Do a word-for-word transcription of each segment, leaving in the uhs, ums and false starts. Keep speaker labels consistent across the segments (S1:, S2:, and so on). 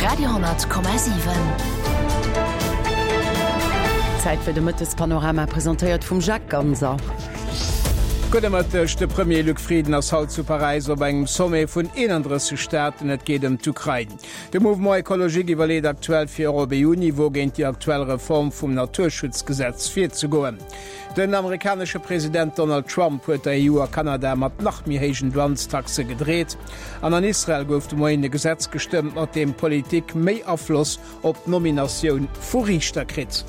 S1: Radio honnert Komma siwen.
S2: Zäit fir de Mëttespanorama, presentéiert vum Jacques Ganser.
S3: Gudde Mëtteg, De Premier Luc Frieden ass haut zu Paräis op engem Sommet vun eenandrësseg Staaten. Et geet ëm d'Ukrain. De Mouvement Ecologique iwwerleet aktuell fir och op E U-Niveau géint déi aktuell Reform vum Naturschutzgesetz virzegoen. Den amerikanesche President Donald Trump huet der E U a Kanada mat nach méi héijen Douanestaxe gedreet. An an Israel gouf de Moien e Gesetz gestëmmt, mat deem d'Politik méi Afloss op d'Nominatioun vu Riichter kritt.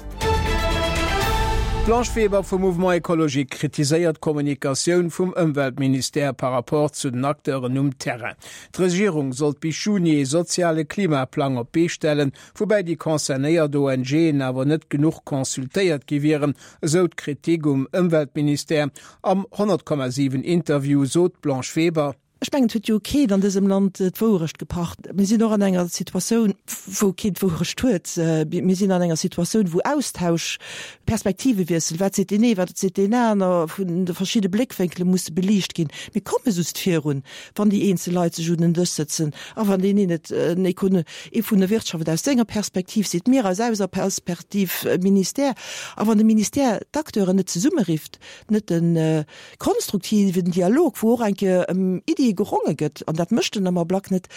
S3: D'Blanche Weber vum Mouvement Ecologique kritiséiert d'Kommunikatioun vum Ëmweltministère par rapport zu den Acteuren um Terrain. D'Regierung sollt bis Juni ee soziale Klimaplang op d'Bee stellen, woubäi déi concernéiert O N G'en awer net genuch consultéiert gi wieren, esou d'Kritik um Ëmweltministère. Am honnert Komma siwen Interview sot d'Blanche Weber.
S4: Ech mengen, et huet jo keen an dësem Land d'Wourecht gepacht. Mir sinn och an enger Situatioun, wou keen d'Wourecht huet. Mir sinn an enger Situatioun, wou Austausch, Perspektivewiessel, wat seet deen ee, wat seet deen aner, vun de verschidde Bléckwénkele musse beliicht ginn. Mir komme just virun, wann déi eenzel Leit sech un den Dësch sëtzen a wann deen een et en Econ ee vun der Wirtschaft aus senger Perspektiv seet, mir aus eiser Perspektiv, Ministère. A wann de Ministère d'Acteuren net zesummerifft, net de konstruktiven Dialog, wou och eng Kéier ëm Iddie geronge gëtt, an dat mécht en am Ablack net,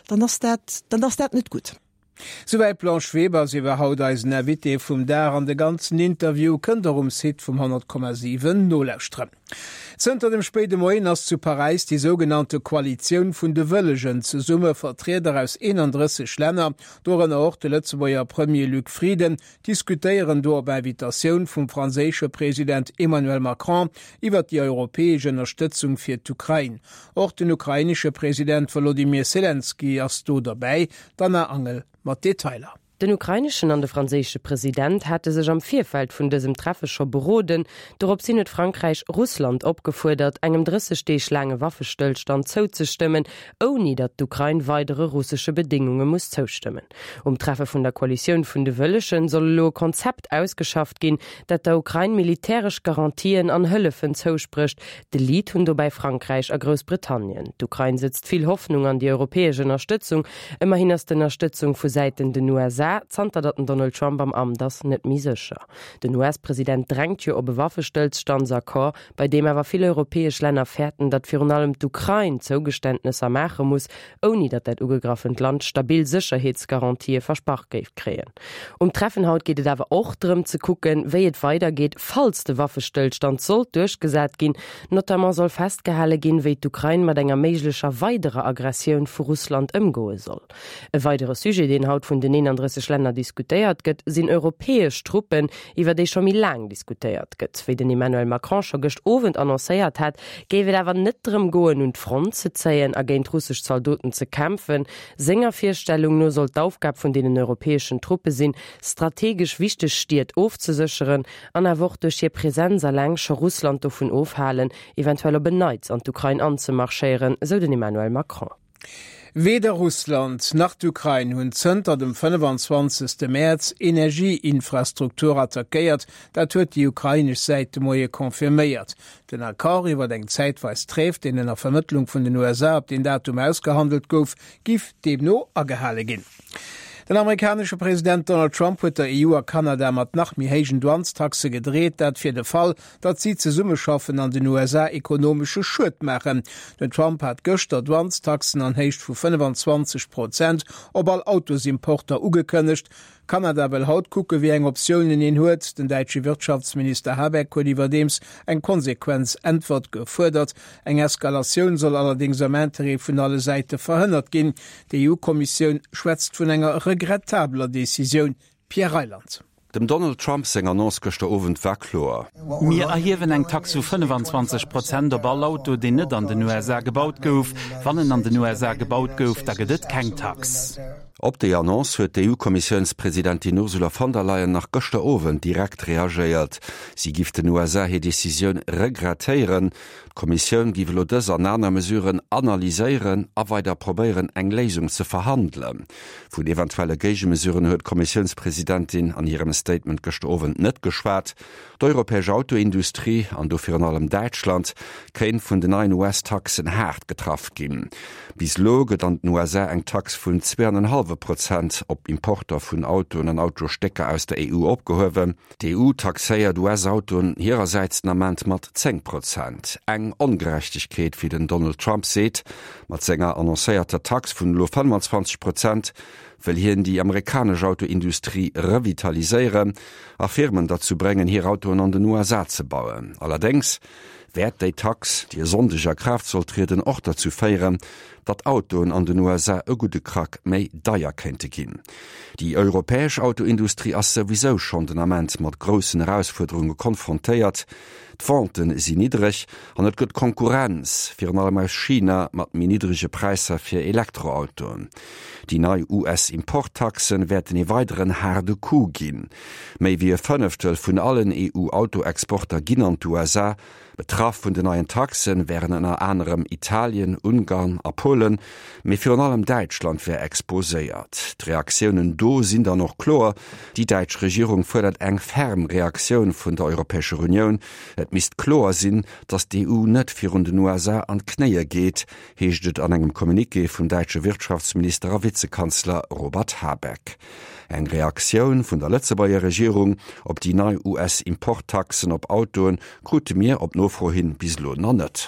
S4: dann ass dat, dann ass dat net gutt.
S3: Souwäit d'Blanche Weber. Si war haut eisen Invité vum Dag an de ganzen Interview kënnt der um Site vum honnert Komma siwen nolauschteren. Zënter dem spéide Moien ass zu Paräis déi sougenannte Koalitioun vun de Wëllegen zesumme. Vertrieder aus eenandrësseg Länner, dorënner och de Lëtzebuerger Premier Luc Frieden, diskutéieren do op Invitatioun vum franséische President Emmanuel Macron iwwer déi europäesch Ënnerstëtzung fir d'Ukrain. Och den ukrainesche President Wolodymyr Selenskyj ass do derbäi. D'Anna Angel mat Detailer.
S5: Den ukraineschen an de franséische President hate sech am Virfeld vun dësem Treffe scho beroden. Dorops hin huet Frankräich Russland opgefuerdert, engem drësseg Deeg laange Waffestëllstand zouzestëmmen, ouni datt d'Ukrain weidere russesche Bedéngunge muss zoustëmmen. Um Treffe vun der Koalitioun vun de Wëllegen soll elo e Konzept ausgeschafft ginn, dat der Ukrain militäresch Garantien an Hëllefen zousprécht. De Lead hunn dobäi Frankräich a Groussbritannien. D'Ukrain setzt vill Hoffnung an déi europäesch Ënnerstëtzung. Ëmmerhin ass d'Ënnerstëtzung vu Säiten den U S A, zanter datt den Donald Trump am Amt ass, net méi sécher. Den U S-President drängt jo op e Waffestëllstandsaccord, bei deem awer vill europäesch Länner fäerten, datt virun allem d'Ukrain Zougeständnesser maache muss, ouni datt dat ugegraffent Land stabil Sécherheetsgarantië versprach géif kréien. Um Treffen haut geet et awer och drëm ze kucken, wéi et weidergeet, falls de Waffestëllstand sollt duerchgesat ginn. Notamment soll festgehale ginn, wéi d'Ukrain mat enger méiglecher weiderer Aggressioun vu Russland ëmgoe soll. E weidere Sujet, deen haut vun den eenandrësseg Länner diskutéiert gëtt, sinn europäesch Truppen, iwwer déi scho méi laang diskutéiert gëtt. Wéi den Emmanuel Macron scho gëscht Owend annoncéiert hat, géif et awer net drëm goen, un d'Front ze zéien a géint russesch Zaldoten ze kämpfen. Senger Virstellung no soll d'Aufgab vun deenen europäeschen Truppe sinn, strategesch wichteg Stied ofzesécheren an awer och duerch hir Presenz eleng scho Russland dovun ofhalen, eventuell op en Neits an d'Ukrain anzemarschéieren, sou den Emmanuel Macron.
S3: Weder Russland nach d'Ukrain hunn zënter dem fënnefenzwanzegste Mäerz Energieinfrastruktur attackéiert, dat huet déi ukrainesch Säit de Moie confirméiert. Den Accord iwwer eng zäitweis Tréif, deen ënner Vermëttlung vun den U S A op den Datum ausgehandelt gouf, giff deemno agehale ginn. Den amerikanesche President Donald Trump huet der E U a Kanada mat nach méi héijen Douanestaxe gedreet, dat fir de Fall, datt si zesummeschaffen an den U S A ekonomesche Schued maachen. Den Trump hat gëschter Douanestaxen an Héicht vu fënnefenzwanzeg Prozent op all Autosimporter ugekënnegt. Kanada wëll haut kucke wéi eng Optiounen een huet. Den däitsche Wirtschaftsminister Habeck huet iwwerdeems eng konsequent Äntwert gefuerdert. Eng Eskalatioun soll allerdéngs am Interêt vun alle Säite verhënnert ginn. D'E U-Kommissioun schwätzt vun enger regrettabler Decisioun. Pierre Reyland.
S6: Dem Donald Trump seng Annonce gëschter Owend war kloer.
S7: Mir erhiewen eng Tax vu fënnefenzwanzeg Prozent op all Auto, deen net an den U S A gebaut gouf. Wann en an den U S A gebaut gouf, da gëtt et keng Tax.
S6: Op déi Annonce huet d'E U-Kommissiounspresidentin Ursula von der Leyen nach gëschter Owend direkt reagéiert. Si giff den U S A hir Decisioun regrettéieren. D'Kommissioun giff elo dës an aner Mesuren analyséieren a weider probéieren eng Léisung ze verhandelen. Vun eventuelle Géigemesuren huet d'Kommissiounspresidentin an hirem Statement gëschter Owend net geschwat. D'europäesch Autoindustrie an do virun allem Däitschland kéint vun den neien U S-Taxen haart getraff ginn. Bis elo gëtt an den U S A eng Tax vun zwee an en hallwe hallwe Prozent op Importer vun Autoen an Autostécker aus der E U opgehuewen. D'E U taxéiert U S-Autoen hirersäits den Ament mat zéng Prozent. Eng Ongerechtegkeet, wéi den Donald Trump seet. Mat senger annoncéierter Tax vun elo fënnfanzwanzeg Prozent wëll hien déi amerikanesch Autoindustrie revitaliséieren a Firmen derzou bréngen, hir Autoen an den U S A ze bauen. Allerdéngs wäert déi Tax, déi e Sonndeg a Kraaft soll trieden, och derzou féieren, datt Autoen an den U S A e gudde Krack méi deier kéinte ginn. Déi europäesch Autoindustrie ass souwisou schonn den Ament mat groussen Erausfuerderunge konfrontéiert. D'Vente sinn niddreg an et gëtt Konkurrenz, virun allem aus China mat méi niddrege Präisser fir Elektroautoen. Déi nei U S-Importtaxe wäerten e weideren haarde Coup ginn. Méi wéi e Fënneftel vun allen E U-Autoexporter ginn an d'U S A. Betraff vun den neien Taxe wären ënner anerem Italien, Ungarn a Polen, mee virun allem Däitschland wär exposéiert. D'Reaktiounen do sinn dann och kloer, Déi däitsch Regierung fuerdert eng ferm Reaktioun vun der Europäescher Unioun. Et misst kloer sinn, datt d'E U net virun den U S A an d'Knéie geet, heescht et an engem Communiqué vum däitsche Wirtschaftsminister a Vizekanzler Robert Habeck. Eng Reaktioun vun der Lëtzebuerger Regierung op déi nei U S-Importtaxen op Autoen krute mir op Nofro hin bis elo nach net.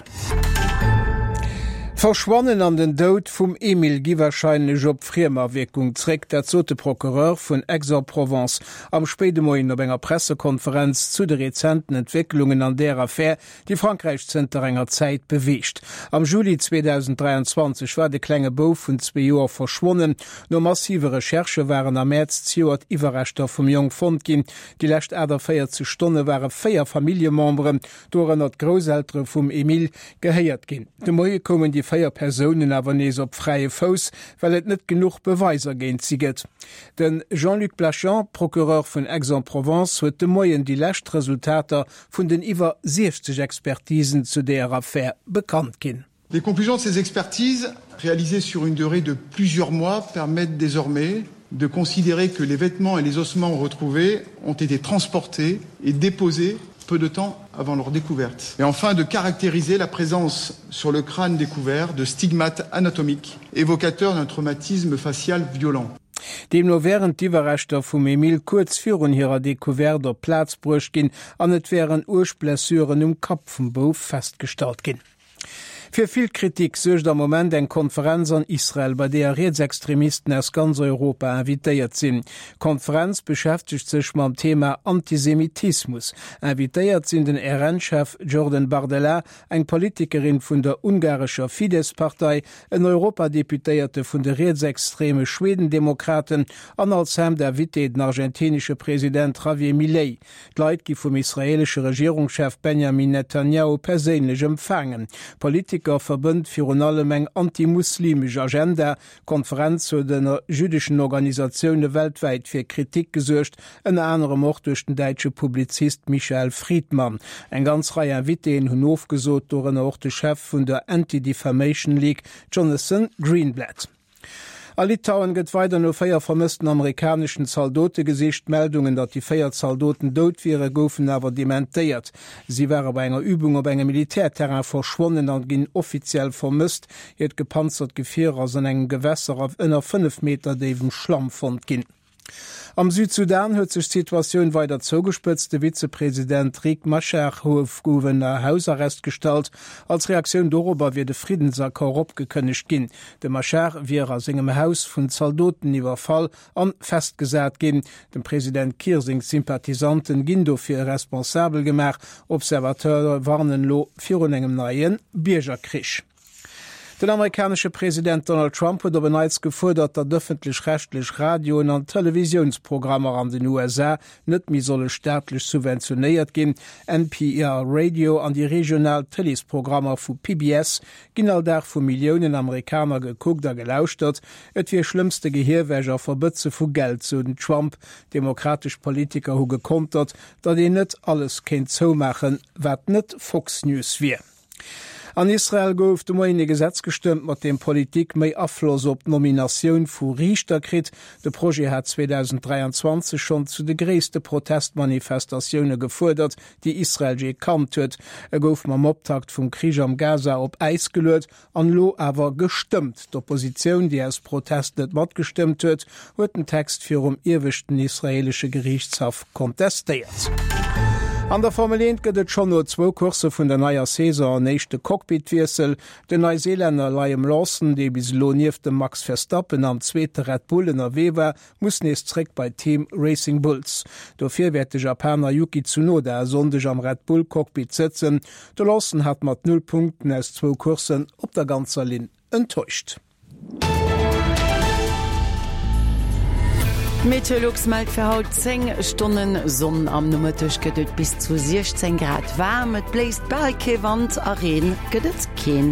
S3: D'Verschwannen an den Doud vum Emil gi warscheinlech op Friemawierkung zréck, dat sot de Procureur vun Aix-en-Provence am spéide Moien op enger Pressekonferenz zu de rezenten Entwécklungen an där Affär, déi Frankräich zënter enger Zäit beweegt. Am Juli zweedausendräianzwanzeg war de klenge Bouf vun zwee Joer verschwonnen. No massive Recherchë waren am Mäerz zejoert Iwwerreschter vum Jong fonnt ginn. Déi lescht aachtavéierzeg Stonne ware véier Familljememberen, dorënner d'Grousseltere vum Emil, gehéiert ginn. De Moie koumen déi véier Persounen awer nees op fräie Fouss, well et net genuch Beweiser géint si gëtt. De Jean-Luc Blachon, Procureur vun Aix-en-Provence, huet de Moien déi lescht Resultater vun den iwwer siechzeg Expertisen zu där Affär bekannt ginn.
S1: Les conclusions de ces expertises, réalisées sur une durée de plusieurs mois, permettent désormais de considérer que les vêtements et les ossements retrouvés ont été transportés et déposés peu de temps avant leur découverte. Et enfin de caractériser la présence sur le crâne découvert de stigmates anatomiques évocateurs d'un traumatisme facial violent.
S3: Deemno wären d'Iwwerreschter vum Emil kuerz virun hirer Decouverte op d'Plaz bruecht ginn an et wären uerg Blessuren um Kapp vum Bouf festgestallt ginn. Fir vill Kritik suergt am Moment eng Konferenz an Israel, bei där Rietsextremisten aus ganz Europa invitéiert sinn. D'Konferenz beschäftegt sech mam Thema Antisemitismus. Invitéiert sinn den R N-Chef Jordan Bardella, eng Politikerin vun der ungarescher Fidesz-Partei, en Europadeputéierte vun de rietsextreme Schwedendemokraten an als Invité den argentinesche President Javier Milei. D'Leit gi vum israelesche Regierungschef Benjamin Netanyahu perséinlech empfaangen. Politiker verbënnt virun allem eng antimuslimesch Agenda. D'Konferenz huet ënner jüddeschen Organisatioune weltwäit fir Kritik gesuergt, ënner anerem och duerch den däitsche Publizist Michael Friedman. Eng ganz Rei Invitéen hunn ofgesot, dorënner och de Chef vun der Anti-Defamation League Jonathan Greenblatt. A Litauen gëtt weider no véier vermëssten amerikaneschen Zaldote gesicht. Meldungen, datt déi véier Zaldoten dout wieren, goufen awer dementéiert. Si ware bei enger Übung op engem Militärterrain verschwonnen an ginn offiziell vermësst. Hiert gepanzert Gefier ass an engem Gewässer op ënner fënnef Meter déiwem Schlamm fonnt ginn. Am Südsudan huet sech d'Situatioun weider zougespëtzt. De Vizepresident Riek Machar gouf ënner Hausarrest gestallt. Als Reaktioun dorobber wier de Friddensaccord opgekënnegt ginn. De Machar wier a sengem Haus vun Zaldoten iwwerfall an festgesat ginn. Dem President Kiir seng Sympathisanten ginn dofir responsabel gemaach. Observateure warnen elo virun engem neie Biergerkrich. Den amerikanesche President Donald Trump huet op en Neits gefuerdert, datt ëffentlech-rechtlech Radioen an Televisiounsprogrammer an den U S A net méi solle staatlech subventionéiert ginn. N P R Radio an déi regional Tëleesprogrammer vu P B S ginn all Dag vu Milliounen Amerikaner gekuckt a gelauschtert. Et wier schlëmmste Gehirwäsch a Verbëtze vu Geld, sou den Trump. Demokratesch Politiker hu gekontert, datt een net alles kéint zoumaachen, wat net Fox News wier. An Israel gouf de Moien e Gesetz gestëmmt, mat deem d'Politik méi Afloss op d'Nominatioun vu Riichter kritt. De Projet hat zweedausend dräianzwanzeg schonn zu de gréisste Protestmanifestatioune gefuerdert, déi Israel jee kannt huet. E gouf mam Optakt vum Krich am Gaza op Äis geluet an elo awer gestëmmt. D'Oppositioun, déi aus Protest net matgestëmmt huet, huet den Text virum ieweschten israeelesche Geriichtshaff kontestéiert. An der Formel eent gëtt et schonn no zwou Coursse vun der neier Saison en éischte Cockpit-Wiessel. Den Neiseelänner Liam Lawson, dee bis elo nieft dem Max Verstappen am zweete Red Bull ënnerwee war, muss nees zréck bei d'Team Racing Bulls. Dofir wäert de Japaner Yuki Tsunoda e Sonndeg am Red Bull-Cockpit sëtzen. De Lawson hat mat null Punkten aus zwou Courssen op der ganzer Linn enttäuscht.
S2: Meteolux mellt fir haut zéng Stonne Sonn. Am Nomëtteg gëtt et bis zu siechzéng Grad waarm. Et bléist bal kee Wand a Reen gëtt et keen.